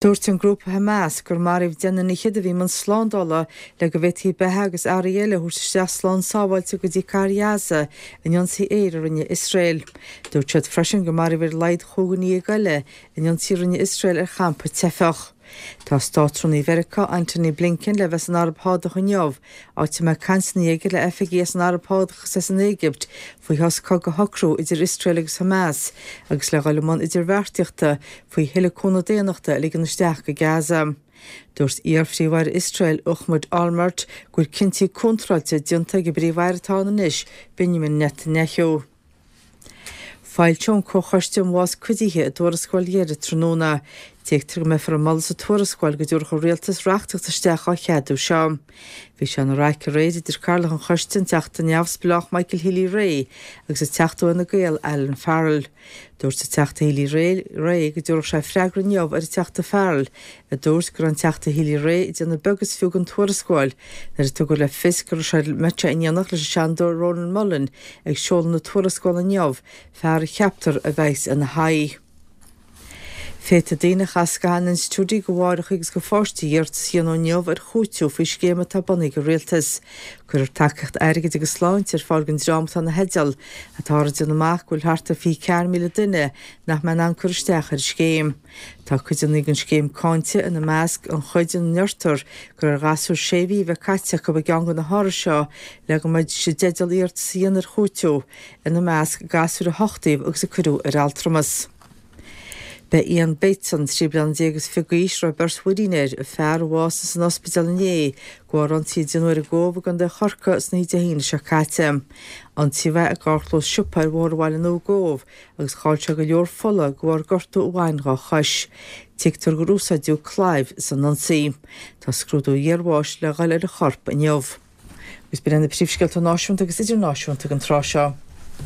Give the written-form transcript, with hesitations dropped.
Dúirt an grúpa Hamas gur maraíodh deichniúr fhichead a bhí i mbun slándála le go bhféadfaí beatha agus earraí eile a thabhairt isteach slán sábháilte go dtí cathair Ghaza in ionsaí aeir a rinne Iosrael. Dúirt siad freisin gur maraíodh ar a laghad chúig dhuine dhéag eile in ionsaí a rinne Iosrael ar champa teifeach. Tá Státrúnaí Mheiriceá, Antony Blinken le bheith san Araib Shádach inniu, áit a mbeidh cainteanna aige le oifigigh as an Araib Shádach agus as an Éigipt faoi shos cogaidh a shocrú idir Iosrael agus Hamas agus le dhul i mbun idirbheartaíochta faoi thuilleadh cúnamh daonnachta a ligean isteach go Gaza. Dúirt iar-Phríomh-Aire Iosrael, Ehud Olmert, go bhfuil cinntí contráilte déanta ag an bPríomh-Aire atá ann anois, Benjamin Netanyahu. Foilseoidh an Comhchoiste um Bhás Cuidithe a dtuarascáil dheiridh tráthnóna. Tuigtear go mbeifear ag moladh sa tuarascáil go dtabharfadh an Rialtas reachtaíocht isteach á cheadú seo. Bhí sé ina raic aréir idir Cathaoirleach an Choiste, an Teachta Neamhspleách Michael Healy-Rae, agus an Teachta ó Fhine Gael, Alan Farrell. Dúirt an Teachta Healy-Rae go dtabharfadh sé freagra inniu ar an Teachta Farrell, a dúirt go raibh an Teachta Healy-Rae ag déanamh beag is fiú den tuarascáil nuair a tugadh le fios go raibh sé mbeadh sé in éineacht leis an Seanadóir Rónán Mullen ag seoladh na tuarascála inniu, fear a cheaptar a bheas ina haghaidh. Féadfaidh daoine a chaith scaitheamh in institiúidí do mháithreacha agus do pháistí iarratas a dhéanamh inniu ar chúiteamh faoi scéim atá bunaithe ag an Rialtas. Cuirfear tacaíocht airgid agus sláinte ar fáil don dream atá ina theideal. Táthar ag déanamh amach go bhfuil thart ar 24,000 duine nach mbeidh in ann cur isteach ar an scéim. Tá cuideanna den scéim cáinte, ina measc an chuid ina ndeirtear gur ar ghasúir sé mhí a bheith caite acu i gceann de na hárais seo le go mbeidís i dteideal iarratas a dhéanamh ar chúiteamh, ina measc gasúir a huchtaíodh agus a cuireadh ar altramas. B'é Ian Bateson, 13 bliana is fiche d'aois, a raibh beirt mhuirín air, an fear a bhásaigh san ospidéal inné de bharr ionsaí a déanadh air i gCóbh i gContae Chorcaí san oíche Dé hAoine seo caite. Ionsaíodh é i gcarrchlós siopa ar Bhóthar Bhaile Nua i gCóbh agus chaill sé go leor fola de bharr gortú a bhain dhá chois. Tuigtear gur úsáideadh claíomh san ionsaí. Tá scrúdú iarbháis le dhul ar an chorp inniu. Agus b'in iad na príomhscéalta náisiúnta agus idirnáisiúnta ag an tráth seo.